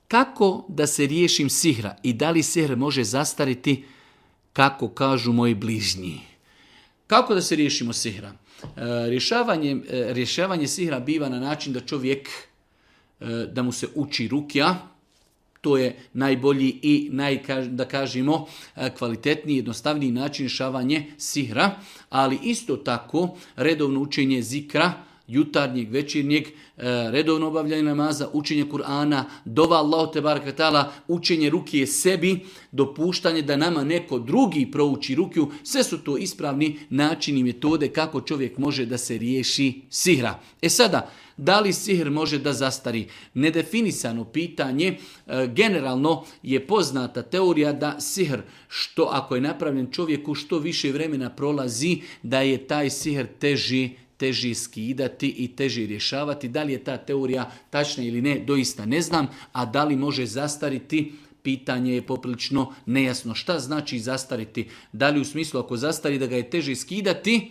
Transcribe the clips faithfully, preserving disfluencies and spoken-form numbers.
kako da se riješim sihra i da li sihr može zastariti, kako kažu moji bližnji. Kako da se riješimo sihra? Rješavanje, rješavanje sihra biva na način da čovjek, da mu se uči rukja, to je najbolji i naj, da kažemo, kvalitetniji, jednostavniji način rješavanja sihra, ali isto tako redovno učenje zikra, jutarnjeg, večernjeg, redovno obavljanje namaza, učenje Kur'ana, dova Allahu te baraka ta'ala, učenje rukije sebi, dopuštanje da nama neko drugi prouči rukiju, sve su to ispravni načini i metode kako čovjek može da se riješi sihra. E sada, da li sihr može da zastari? Nedefinisano pitanje, generalno je poznata teorija da sihr, što ako je napravljen čovjeku, što više vremena prolazi, da je taj sihr teži teži skidati i teži rješavati. Da li je ta teorija tačna ili ne, doista ne znam, a da li može zastariti, pitanje je poprilično nejasno. Šta znači zastariti? Da li u smislu ako zastari da ga je teže skidati,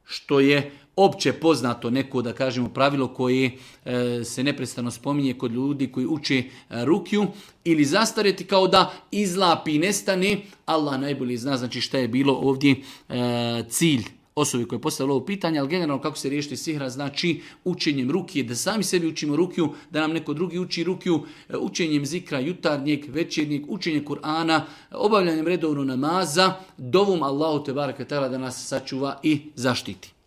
što je opće poznato neko, da kažemo, pravilo koje e, se neprestano spominje kod ljudi koji uče e, rukju, ili zastariti kao da izlapi i nestane. Allah najbolje zna, znači šta je bilo ovdje e, cilj osobi koja je postavila ovo pitanje, ali generalno kako se riješiti sihra, znači učenjem rukije, da sami sebi učimo rukiju, da nam neko drugi uči rukiju, učenjem zikra jutarnjeg, večernjeg, učenjem Kur'ana, obavljanjem redovno namaza, dovom Allahu te baraka ta'ala da nas sačuva i zaštiti.